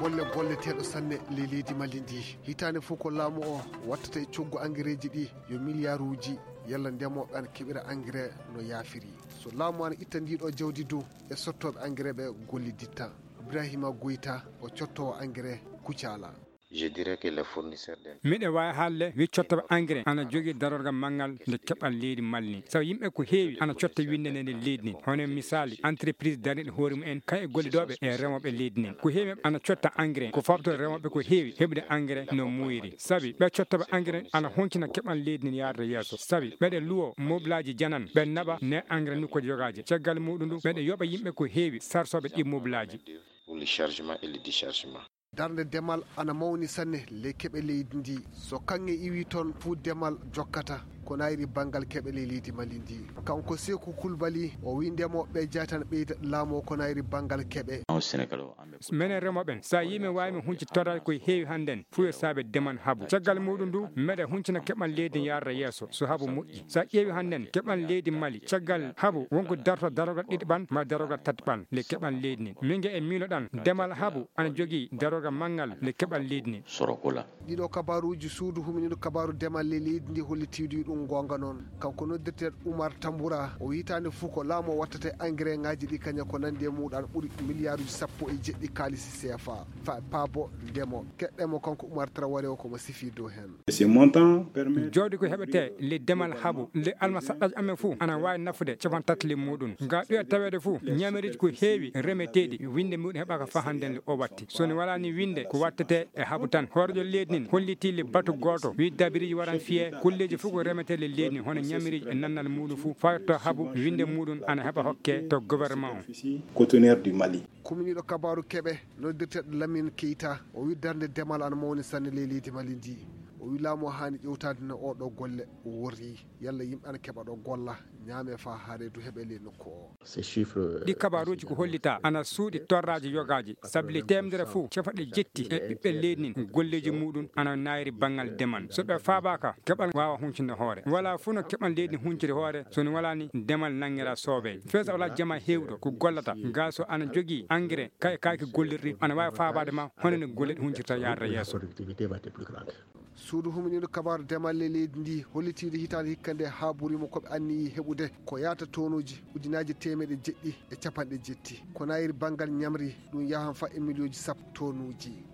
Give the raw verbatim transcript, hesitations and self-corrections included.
Golle golleteeɗo sanne ley leydi Mali ndi. Hitaande fof ko laamu o wattata e coggu angereeji ɗi yo miliyaaruuji, yalla ndemooɓe ana keɓira angere no yaafiri. So laamu ana itta ndiɗo jawdi du, e sottooɓe angere ɓe golliditta. Ibrahima Goyta, o cottoowo angere Kucala. Je dirais que les fournisseurs d'in- Miɗo waawi haalde wi cottooɓe engrais ana jogii darorgal manngal nde keɓal leydi Mali ndi. Sabu yimɓe ko heewi ana cotta winnde nde nder leydi ndi. Hono misaali, entreprise dariiɗo hoore mum en, kaye gollidooɓe e remooɓe leydi ndi. Ko heewi ana cotta engrais, ko fawto remooɓe ko heewi heɓude engrais no muuyri. Sabi ɓe cottooɓe engrais ana honcina keɓal leydi ndi yaarde yeeso. Sabi ɓeɗe luwo mobilaaji janan, ɓe naɓa ne engrais nokkuuji yogaaji. Caggal muɗum ndu, ɓeɗe yoɓa yimɓe ko heewi sarsooɓe ɗi mobilaaji. Pour le chargement et le déchargement. Darnde demal ana mawni sanne ley keɓe leydi ndi. So kaŋŋe iwi toon, fuu demal jokkata ko nayri banngal keɓe ley leydi Mali ndi. Kanko Seeku Kulbali, o wi ndemooɓe ɓe jaatana ɓeyda laamu o ko nayri banngal keɓe. Minen remooɓe en, so a yii min waawi min hunci torraade ko heewi hannden, fuu yo saabe demal habu. Caggal muɗum ndu, meɗe huncina keɓal leydi yaarda yeeso, so habu moƴƴi. So a ƴeewi hannden, keɓal leydi Mali, caggal habu, wonko darto darorgal ɗiɗi ɓan, ma darorgal tati ɓan, le keɓal leydi ndi. Min ge e miiloɗan, demal habu, ana jogii darorgal manngal, le keɓal leydi ndi. Sorokola. Ɗiɗo kabaaruuji suudu huminiiɗo kabaaru demal ley leydi ndi hollitiiɗo ɗum goonga noon. Kanko noddirteeɗo Umar Tambura, o hitaande fof ko laamu o wattata e engrais ŋaaji ɗi kaña ko nanndi e muuɗan ɓuri miliyaaruuji sappo e jeɗɗi kaalisi C F A. Fa paabo ndemo. Keɗɗemo kanko Umar Traoré o ko mo sifii dow heen. Ces montants permettent. Jawdi ko heɓetee le demal habu, le almasaɗɗaaji amen fof ana waawi nafude capanɗe tati le muɗum. Nga ɗoya taweede fof, ñamiriiji ko heewi remeteeɗi, winnde muɗum heɓaaka faa hannden le o watti. So ne walaa ni winnde, ko wattetee e habu tan. Hooreejo leydi nin hollitii le batu gooto, wi dabiriiji waran fiyee, kolleeji fof ko remetee le leydi nin, hono ñamiriiji e nannal muɗum fof, faa yetto habu, winnde muɗum ana heɓa hokke to gouvernement o. Conteneur du Mali. Kuminiiɗo kabaaru keɓe, noddirteeɗo Lamine Keita, o wi darnde demal ana mawni sanne ley leydi Mali ndi. O wi laamu o haani ƴewtaade no oo ɗoo golle worri. Yalla yimɓe ana keɓa ɗo golla, ñaame faa haa reedu heɓe ley nokku o. Ces chiffres. Ɗi kabaaruuji ko hollitaa ana suuɗi torraaji yogaaji, sabu le teemedere fof, capanɗe jetti e ɓiɓɓe leydi nin, golleeji muɗum ana naayri banngal demal. So ɓe faabaaka, keɓal waawa huncinde hoore. Walaa fof no keɓal leydi hunciri hoore, so ne walaa ni demal nanngira soobee. Feesa walaa jama heewɗo ko gollata, gaa so ana jogii engrais, kay kaaki gollirɗi, ana waawi faabaade ma, hono no golle ɗi huncirta yaarde yeeso. Suudu huminiiɗo kabaaru demal ley leydi ndi hollitiiɗo hitaande hikka nde haa ɓuri mo ko ɓe anniyii heɓude ko yaata tonuuji ujunaaji teemeɗe jeɗɗi e capanɗe jetti. Ko nayiri banngal ñamri ɗum yahan fa e miliyooji sappo tonuuji.